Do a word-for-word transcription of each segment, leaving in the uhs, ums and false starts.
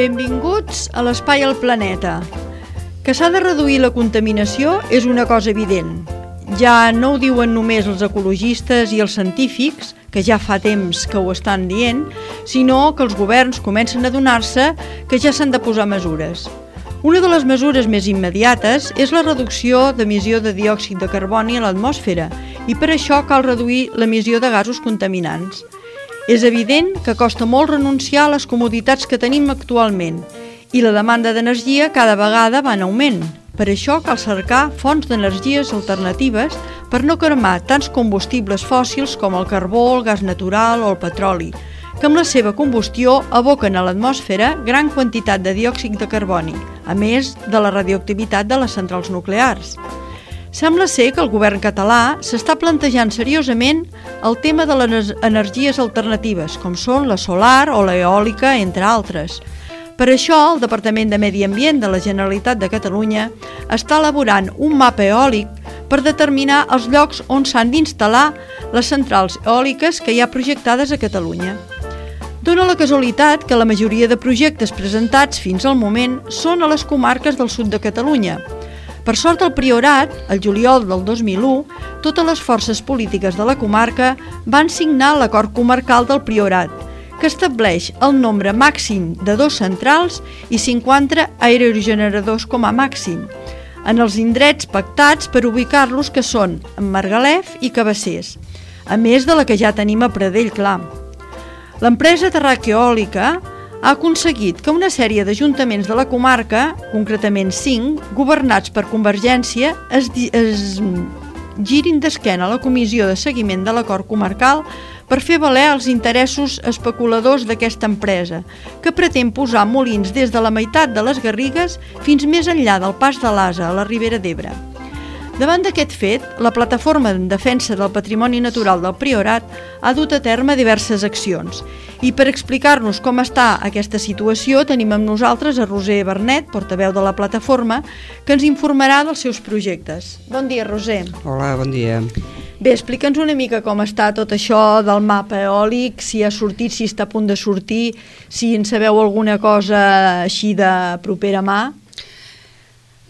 Benvinguts a l'Espai al Planeta. Que s'ha de reduir la contaminació és una cosa evident. Ja no ho diuen només els ecologistes i els científics, que ja fa temps que ho estan dient, sinó que els governs comencen a adonar-se que ja s'han de posar mesures. Una de les mesures més immediates és la reducció d'emissió de diòxid de carboni a l'atmosfera i per això cal reduir l'emissió de gasos contaminants. És evident que costa molt renunciar a les comoditats que tenim actualment i la demanda d'energia cada vegada va en augment. Per això cal cercar fonts d'energies alternatives per no cremar tants combustibles fòssils com el carbó, el gas natural o el petroli, que amb la seva combustió aboquen a l'atmosfera gran quantitat de diòxid de carboni, a més de la radioactivitat de les centrals nuclears. Sembla ser que el govern català s'està plantejant seriosament el tema de les energies alternatives, com són la solar o l'eòlica, entre altres. Per això, el Departament de Medi Ambient de la Generalitat de Catalunya està elaborant un mapa eòlic per determinar els llocs on s'han d'instal·lar les centrals eòliques que hi ha projectades a Catalunya. Dóna la casualitat que la majoria de projectes presentats fins al moment són a les comarques del sud de Catalunya. Per sort, al Priorat, el juliol del dos mil u, totes les forces polítiques de la comarca van signar l'acord comarcal del Priorat, que estableix el nombre màxim de dos centrals i cinquanta aerogeneradors com a màxim, en els indrets pactats per ubicar-los, que són en Margalef i Cabassers, a més de la que ja tenim a Pradell Clar. L'empresa Terraqueòlica ha aconseguit que una sèrie d'ajuntaments de la comarca, concretament cinc, governats per Convergència, es, es girin d'esquena a la comissió de seguiment de l'acord comarcal per fer valer els interessos especuladors d'aquesta empresa, que pretén posar molins des de la meitat de les Garrigues fins més enllà del Pas de l'Asa, a la Ribera d'Ebre. Davant d'aquest fet, la Plataforma en Defensa del Patrimoni Natural del Priorat ha dut a terme diverses accions. I per explicar-nos com està aquesta situació, tenim amb nosaltres a Roser Bernet, portaveu de la plataforma, que ens informarà dels seus projectes. Bon dia, Roser. Hola, bon dia. Bé, explica'ns una mica com està tot això del mapa eòlic, si ha sortit, si està a punt de sortir, si en sabeu alguna cosa així de propera mà.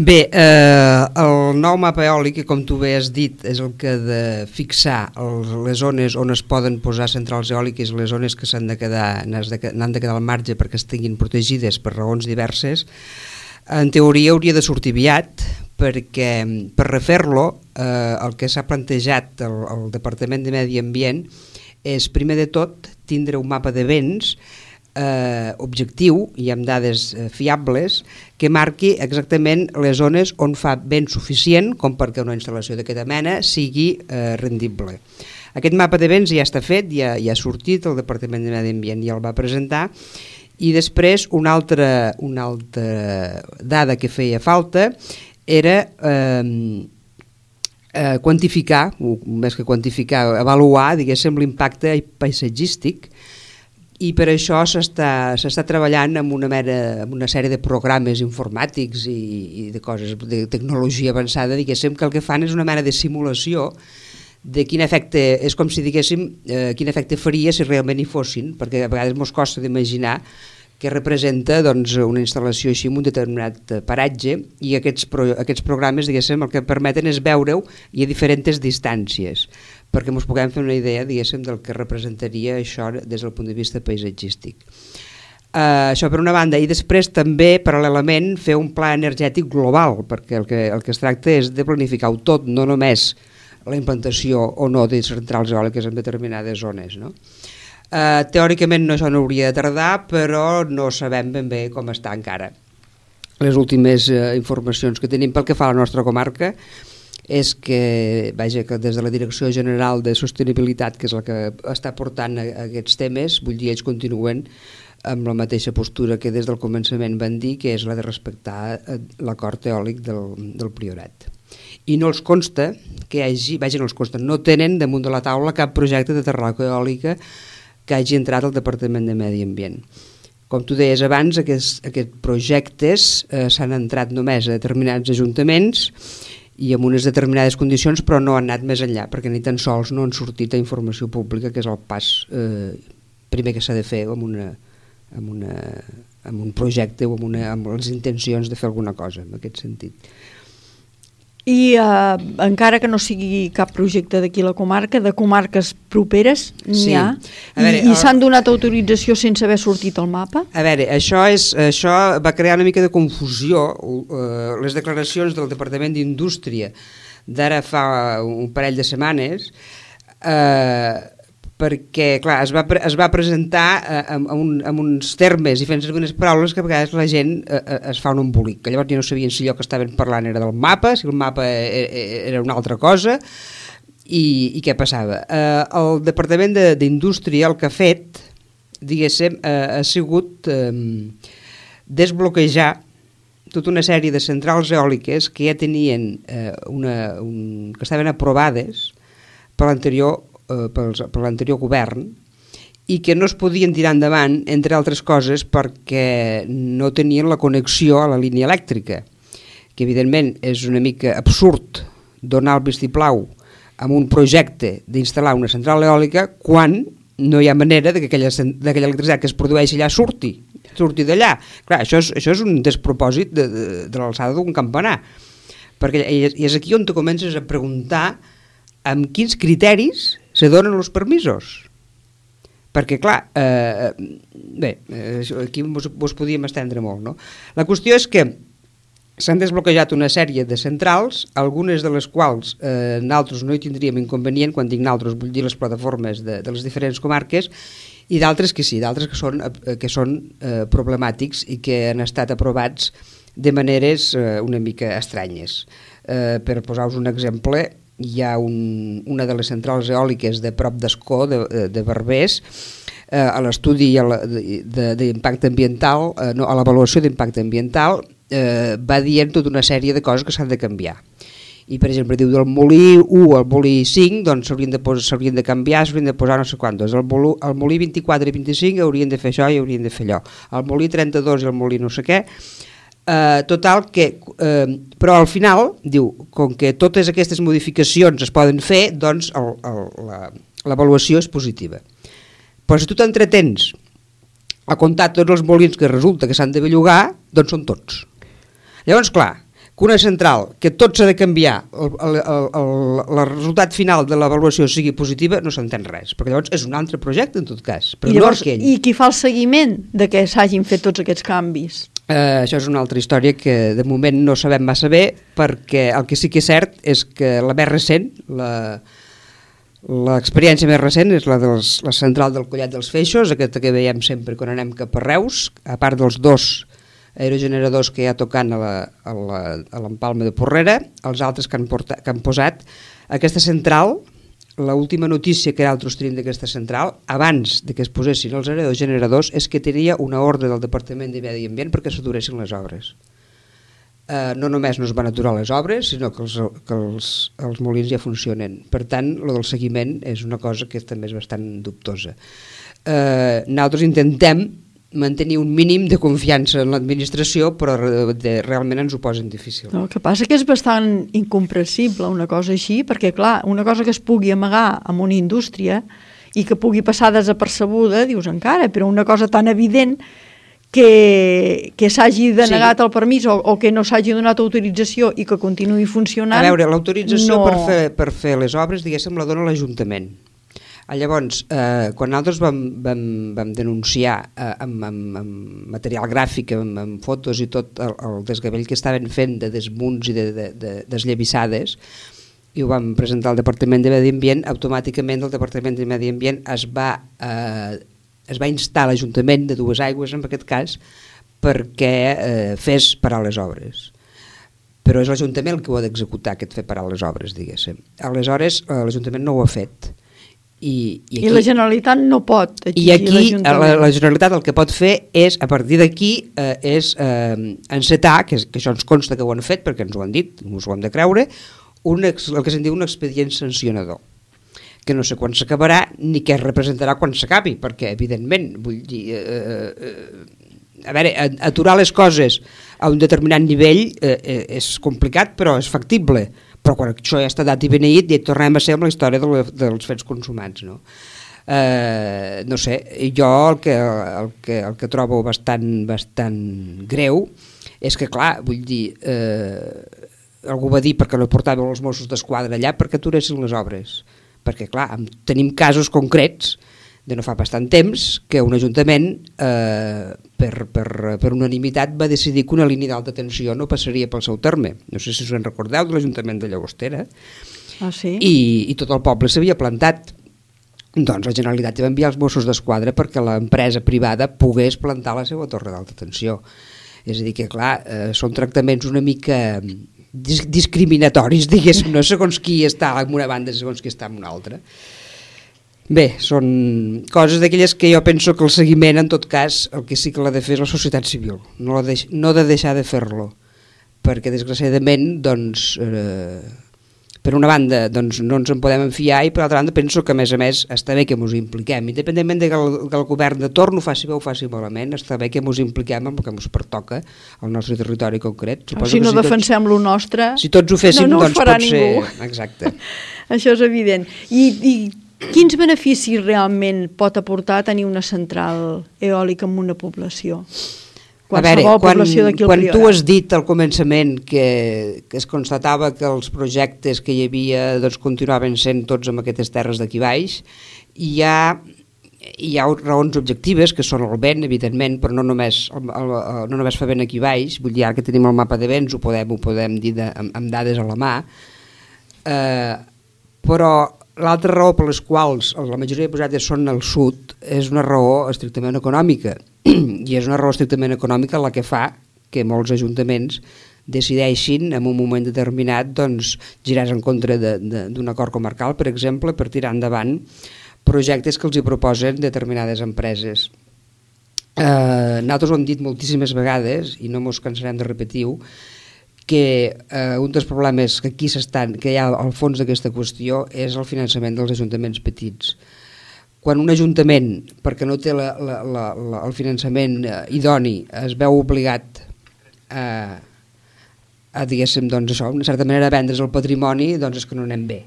Bé, eh, el nou mapa eòlic, que com tu bé has dit, és el que ha de fixar els, les zones on es poden posar centrals eòliques, les zones que s'han de quedar, n'han de quedar al marge perquè estiguin protegides per raons diverses. En teoria hauria de sortir aviat, perquè per refer-lo eh, el que s'ha plantejat el, el Departament de Medi Ambient és, primer de tot, tindre un mapa de vents Eh, objectiu i amb dades eh, fiables que marqui exactament les zones on fa vent suficient com perquè una instal·lació d'aquesta mena sigui eh, rendible. Aquest mapa de vents ja està fet, ja, ja ha sortit, el Departament de Medi Ambient ja el va presentar, i després una altra, una altra dada que feia falta era eh, eh, quantificar, més que quantificar, avaluar, diguéssim, l'impacte paisatgístic. I per això s'està s'està treballant amb una, mera, amb una sèrie de programes informàtics i, i de coses de tecnologia avançada, diguéssim, que el que fan és una mena de simulació de quin efecte, és com si diguéssim eh, quin efecte faria si realment hi fossin, perquè a vegades ens costa d'imaginar què representa doncs, una instal·lació així en un determinat paratge, i aquests, pro, aquests programes, diguéssim, el que permeten és veure-ho i a diferents distàncies, perquè ens puguem fer una idea, diguéssim, del que representaria això des del punt de vista paisatgístic. Uh, això per una banda, i després també, paral·lelament, fer un pla energètic global, perquè el que, el que es tracta és de planificar-ho tot, no només la implantació o no de centrals eòliques en determinades zones, no? Uh, teòricament no, això no hauria de tardar, però no sabem ben bé com està encara. Les últimes uh, informacions que tenim pel que fa a la nostra comarca és que, vaja, que des de la Direcció General de Sostenibilitat, que és la que està portant a, a aquests temes, vull dir, ells continuen amb la mateixa postura que des del començament van dir, que és la de respectar l'acord eòlic del, del Priorat. I no els consta que hi hagi, vaja, no els consta, no tenen damunt de la taula cap projecte de terraqueòlica que hagi entrat al Departament de Medi Ambient. Com tu deies abans, aquests, aquests projectes eh, s'han entrat només a determinats ajuntaments i amb unes determinades condicions, però no han anat més enllà, perquè ni tan sols no han sortit a informació pública, que és el pas eh, primer que s'ha de fer amb una, amb una amb un projecte o amb, una, amb les intencions de fer alguna cosa en aquest sentit. I eh, encara que no sigui cap projecte d'aquí a la comarca, de comarques properes n'hi Sí. ha, A veure, i, i el- s'han donat autorització sense haver sortit al mapa? A veure, això, és, això va crear una mica de confusió. Uh, les declaracions del Departament d'Indústria d'ara fa un parell de setmanes, uh, perquè clar, es va, pre es va presentar uh, amb, amb, un, amb uns termes i fent servir unes paraules que a vegades la gent uh, es fa un embolic, que llavors ja no sabien si allò que estaven parlant era del mapa, si el mapa era una altra cosa, i, i què passava. Uh, el Departament d'Indústria el que ha fet, diguéssim, uh, ha sigut um, desbloquejar tota una sèrie de centrals eòliques que ja tenien uh, una, un, que estaven aprovades per l'anterior eh, per l'anterior govern i que no es podien tirar endavant, entre altres coses, perquè no tenien la connexió a la línia elèctrica, que evidentment és una mica absurd donar el vistiplau amb un projecte d'instal·lar una central eòlica quan no hi ha manera de que aquella, aquella electricitat que es produeix allà surti, surti d'allà. Clar, això és, això és un despropòsit de, de, de l'alçada d'un campanar, perquè i és aquí on tu comences a preguntar amb quins criteris se donen els permisos. Perquè, clar, eh, bé, aquí vos, vos podíem estendre molt, no? La qüestió és que s'han desbloquejat una sèrie de centrals, algunes de les quals eh, nosaltres no hi tindríem inconvenient, quan dic nosaltres vull dir les plataformes de, de les diferents comarques, i d'altres que sí, d'altres que són, eh, que són eh, problemàtics i que han estat aprovats de maneres eh, una mica estranyes. Eh, per posar-vos un exemple, hi ha un, una de les centrals eòliques de prop d'Escó, de, de Berbers, eh, a l'estudi d'impacte ambiental, eh, no, a l'avaluació d'impacte ambiental, eh, va dient tota una sèrie de coses que s'han de canviar. I, per exemple, diu del molí u al molí cinc, doncs s'haurien de, s'haurien de canviar, s'haurien de posar no sé quantos. El, molí, el molí vint-i-quatre i vint-i-cinc haurien de fer això i haurien de fer allò. El molí trenta-dos i el molí no sé què. Uh, total que, uh, però al final diu, com que totes aquestes modificacions es poden fer, doncs l'avaluació és positiva. Però si tu t'entretens a comptar tots els molins que resulta que s'han de bellugar, doncs són tots. Llavors, clar, que una central que tot s'ha de canviar, el, el, el, el, el resultat final de l'avaluació sigui positiva, no s'entén res, perquè llavors és un altre projecte en tot cas. Però I, llavors, no I qui fa el seguiment de que s'hagin fet tots aquests canvis? Uh, això és una altra història que de moment no sabem massa bé, perquè el que sí que és cert és que la més recent, l'experiència més recent és la de la central del Collet dels Feixos, aquesta que veiem sempre quan anem cap a Reus, a part dels dos aerogeneradors que hi ha tocant a l'empalme de Porrera, els altres que han, portat, que han posat. Aquesta central, l'última notícia que nosaltres tenim d'aquesta central, abans de que es posessin els aerogeneradors, és que tenia una ordre del Departament de Medi Ambient perquè s'aturessin les obres. Eh, no només no es van aturar les obres, sinó que els, que els, els molins ja funcionen. Per tant, lo del seguiment és una cosa que també és bastant dubtosa. Eh, nosaltres intentem mantenir un mínim de confiança en l'administració, però de, realment ens ho posen difícil. El que passa que és bastant incomprensible una cosa així, perquè clar, una cosa que es pugui amagar amb una indústria i que pugui passar desapercebuda, dius encara, però una cosa tan evident que, que s'hagi denegat sí. el permís o, o que no s'hagi donat autorització i que continuï funcionant. A veure, l'autorització no... per, fer, per fer les obres, diguéssim, la dona l'Ajuntament. Llavors, eh, quan nosaltres vam, vam, vam denunciar eh, amb, amb, amb material gràfic, amb, amb fotos i tot el, el desgavell que estaven fent de desmunts i de, de, de desllavissades, i ho vam presentar al Departament de Medi Ambient, automàticament el Departament de Medi Ambient es va, eh, es va instar a l'Ajuntament de Dues Aigües, en aquest cas, perquè eh, fes parar les obres. Però és l'Ajuntament el que ho ha d'executar, aquest fer parar les obres, diguéssim. Aleshores, eh, l'Ajuntament no ho ha fet. I, i, aquí, I la Generalitat no pot exigir i aquí l'Ajuntament. La, la Generalitat el que pot fer és, a partir d'aquí, eh, és eh, encetar, que, que això ens consta que ho han fet perquè ens ho han dit, ens ho hem de creure, un, el que se'n diu un expedient sancionador, que no sé quan s'acabarà ni què representarà quan s'acabi, perquè evidentment, vull dir, eh, eh, a veure, aturar les coses a un determinat nivell eh, és complicat, però és factible. Però quan això ja està dat i beneït, ja tornem a ser amb la història de la, dels fets consumats, no? Eh, no sé, jo el que, el que, el que trobo bastant, bastant greu és que, clar, vull dir, eh, algú va dir perquè no portàveu els Mossos d'Esquadra allà perquè aturessin les obres, perquè, clar, tenim casos concrets de no fa bastant temps que un ajuntament eh, per, per, per unanimitat va decidir que una línia d'alta tensió no passaria pel seu terme. No sé si us en recordeu de l'Ajuntament de Llagostera. Ah, sí? I, i tot el poble s'havia plantat. Doncs la Generalitat va enviar els Mossos d'Esquadra perquè l'empresa privada pogués plantar la seva torre d'alta tensió. És a dir que, clar, eh, són tractaments una mica dis discriminatoris, diguéssim, no segons qui està en una banda, segons qui està en una altra. Bé, són coses d'aquelles que jo penso que el seguiment, en tot cas, el que sí que l'ha de fer és la societat civil, no, la deix no de deixar de fer-lo, perquè desgraciadament, doncs... Eh, per una banda doncs, no ens en podem enfiar i per altra banda penso que a més a més està bé que ens impliquem, independentment de que el, que el govern de torn ho faci bé o ho faci malament, està bé que ens impliquem amb el que ens pertoca al nostre territori concret. O si no si defensem tots, lo nostre, si tots ho féssim, no, no doncs ho farà pot ningú. Ser... Exacte. Això és evident. I, I quins beneficis realment pot aportar tenir una central eòlica en una població? A veure, quan, quan tu has dit al començament que, que es constatava que els projectes que hi havia doncs, continuaven sent tots en aquestes terres d'aquí baix, hi ha, hi ha raons objectives que són el vent, evidentment, però no només, el, el, no només fa vent aquí baix, vull dir, ara que tenim el mapa de vents ho podem, ho podem dir de, amb, amb dades a la mà, eh, però l'altra raó per les quals la majoria de projectes són al sud és una raó estrictament econòmica, i és una raó estrictament econòmica la que fa que molts ajuntaments decideixin en un moment determinat doncs, girar en contra d'un acord comarcal, per exemple, per tirar endavant projectes que els hi proposen determinades empreses. Eh, nosaltres ho hem dit moltíssimes vegades i no ens cansarem de repetir-ho, que eh, un dels problemes que aquí s'estan, que hi ha al fons d'aquesta qüestió és el finançament dels ajuntaments petits. Quan un ajuntament, perquè no té la, la, la, la, el finançament eh, idoni, es veu obligat a, a diguéssim, doncs això, d'una certa manera a vendre's el patrimoni, doncs és que no anem bé.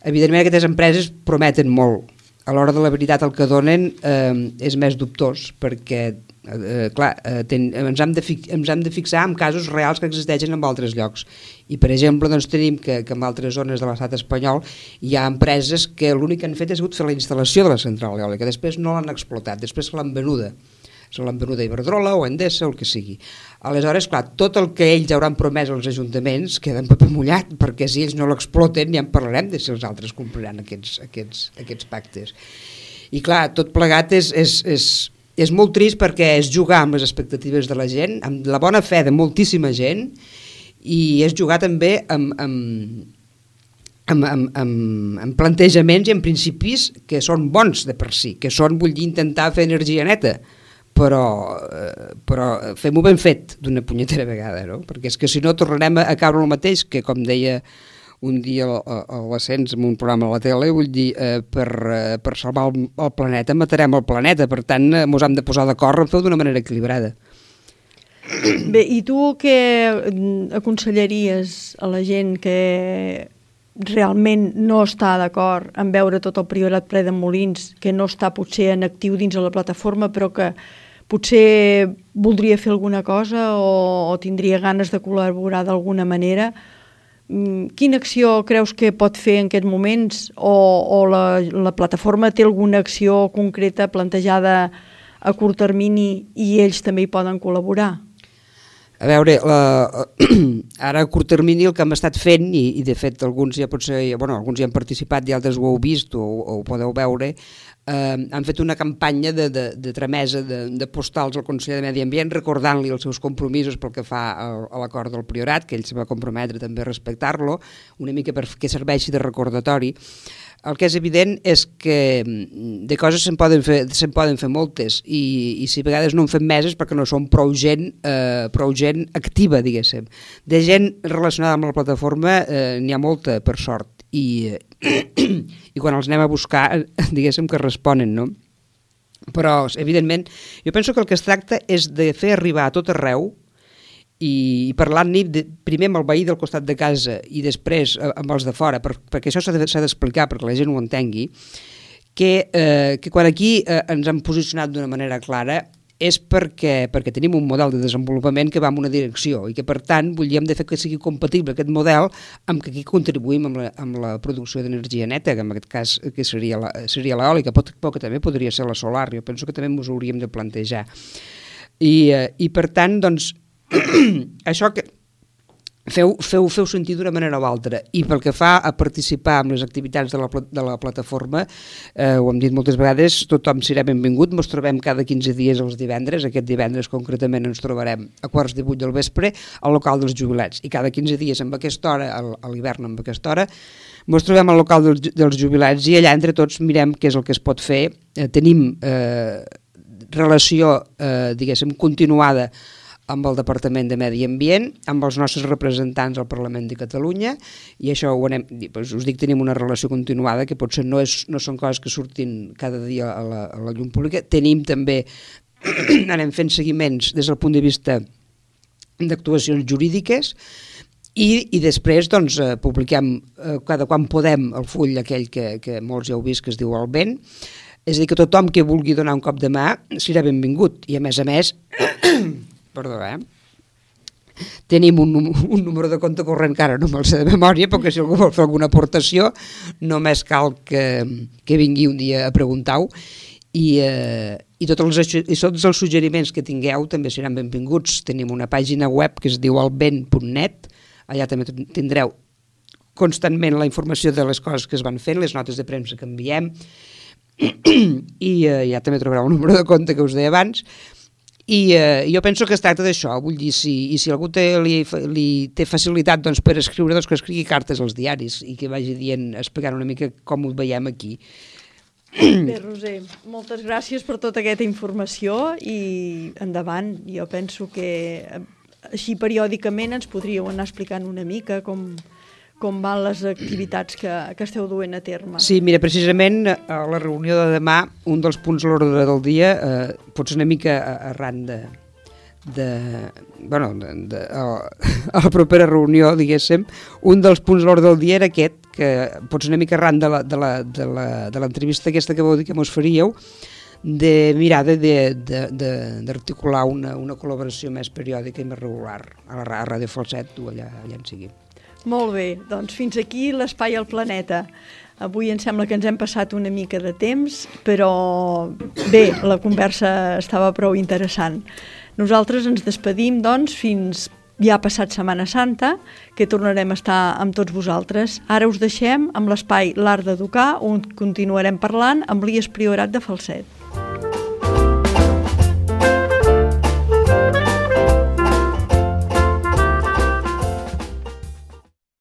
Evidentment aquestes empreses prometen molt. A l'hora de la veritat el que donen eh, és més dubtós, perquè eh, clar, eh, ten, ens, hem de fi, ens hem de fixar en casos reals que existeixen en altres llocs. I per exemple doncs, tenim que, que en altres zones de l'estat espanyol hi ha empreses que l'únic que han fet és fer la instal·lació de la central eòlica, després no l'han explotat, després se l'han venuda. Se l'han venut a Iberdrola o a Endesa o el que sigui. Aleshores, clar, tot el que ells hauran promès als ajuntaments queda en paper mullat, perquè si ells no l'exploten ja en parlarem de si els altres compliran aquests, aquests, aquests pactes. I clar, tot plegat és, és, és, és molt trist perquè és jugar amb les expectatives de la gent, amb la bona fe de moltíssima gent, i és jugar també amb, amb, amb, amb, amb, amb plantejaments i amb principis que són bons de per si, que són, vull dir, intentar fer energia neta, però, eh, però fem-ho ben fet d'una punyetera vegada, no? Perquè és que si no tornarem a, a caure el mateix, que com deia un dia a, a l'Ascens en un programa a la tele, vull dir, eh, per, eh, per salvar el, el planeta matarem el planeta, per tant eh, ens hem de posar d'acord en fer-ho d'una manera equilibrada. Bé, i tu què aconsellaries a la gent que realment no està d'acord en veure tot el Priorat ple de molins, que no està potser en actiu dins de la plataforma, però que potser voldria fer alguna cosa o, o tindria ganes de col·laborar d'alguna manera? Quina acció creus que pot fer en aquests moments? O, o la, la plataforma té alguna acció concreta plantejada a curt termini i ells també hi poden col·laborar? A veure, la, ara a curt termini el que hem estat fent, i, i de fet alguns ja potser, bueno, alguns hi han participat i altres ho heu vist o, o ho podeu veure, eh, han fet una campanya de, de, de tramesa de, de postals al Consell de Medi Ambient recordant-li els seus compromisos pel que fa a, a l'acord del Priorat, que ell se va comprometre també a respectar-lo, una mica perquè serveixi de recordatori. El que és evident és que de coses se'n poden fer, se'n poden fer moltes i, i si a vegades no en fem més és perquè no som prou gent, eh, prou gent activa, diguéssim. De gent relacionada amb la plataforma eh, n'hi ha molta, per sort, i, i quan els anem a buscar, diguéssim que responen, no? Però, evidentment, jo penso que el que es tracta és de fer arribar a tot arreu i parlant-ne primer amb el veí del costat de casa i després amb els de fora, per, perquè això s'ha d'explicar perquè la gent ho entengui, que, eh, que quan aquí eh, ens hem posicionat d'una manera clara és perquè, perquè tenim un model de desenvolupament que va en una direcció i que, per tant, volíem de fer que sigui compatible aquest model amb que aquí contribuïm amb la, amb la producció d'energia neta, que en aquest cas que seria la, seria l'eòlica, però que també podria ser la solar. Jo penso que també ens ho hauríem de plantejar. I, eh, i per tant, doncs, això que Feu, feu, feu sentir d'una manera o altra, i pel que fa a participar en les activitats de la, de la plataforma, eh, ho hem dit moltes vegades, tothom serà benvingut. Ens trobem cada quinze dies els divendres. Aquest divendres concretament ens trobarem a quarts de vuit del vespre al local dels jubilats, i cada quinze dies amb aquesta hora, a l'hivern amb aquesta hora, ens trobem al local dels, dels jubilats, i allà entre tots mirem què és el que es pot fer. Eh, tenim eh, relació, eh, diguéssim, continuada amb el Departament de Medi Ambient, amb els nostres representants al Parlament de Catalunya, i això ho anem, doncs us dic, tenim una relació continuada, que potser no, és, no són coses que surtin cada dia a la, a la llum pública. Tenim també, anem fent seguiments des del punt de vista d'actuacions jurídiques, i, i després doncs, eh, publiquem eh, cada quan podem el full aquell que, que molts ja heu vist, que es diu El Vent. És a dir, que tothom que vulgui donar un cop de mà serà benvingut, i a més a més Perdó, eh? Tenim un, un número de compte corrent que ara no me'l sé de memòria, perquè si algú vol fer alguna aportació només cal que, que vingui un dia a preguntar-ho, i, eh, i, tots els, i tots els suggeriments que tingueu també seran benvinguts. Tenim una pàgina web que es diu elvent punt net, allà també tindreu constantment la informació de les coses que es van fent, les notes de premsa que enviem, i eh, ja també trobareu un número de compte que us deia abans. I eh, jo penso que es tracta d'això, vull dir, si, i si algú té, li, li té facilitat doncs, per escriure, doncs que escrigui cartes als diaris i que vagi dient, explicant una mica com ho veiem aquí. Bé, Roser, moltes gràcies per tota aquesta informació i endavant. Jo penso que així periòdicament ens podríeu anar explicant una mica com... com van les activitats que, que esteu duent a terme. Sí, mira, precisament a la reunió de demà, un dels punts a l'ordre del dia, eh, potser una mica arran de, de, bueno, de, de, a, a la propera reunió, diguéssim, un dels punts a l'ordre del dia era aquest, que potser una mica arran de la, de la, de la, de l'entrevista aquesta que vau dir que mos faríeu, de mirar d'articular una, una col·laboració més periòdica i més regular a la a Ràdio Falset o allà, allà en sigui. Molt bé, doncs fins aquí l'Espai al Planeta. Avui em sembla que ens hem passat una mica de temps, però bé, la conversa estava prou interessant. Nosaltres ens despedim, doncs, fins ja passat Setmana Santa, que tornarem a estar amb tots vosaltres. Ara us deixem amb l'espai L'Art d'Educar, on continuarem parlant amb l'I E S Priorat de Falset.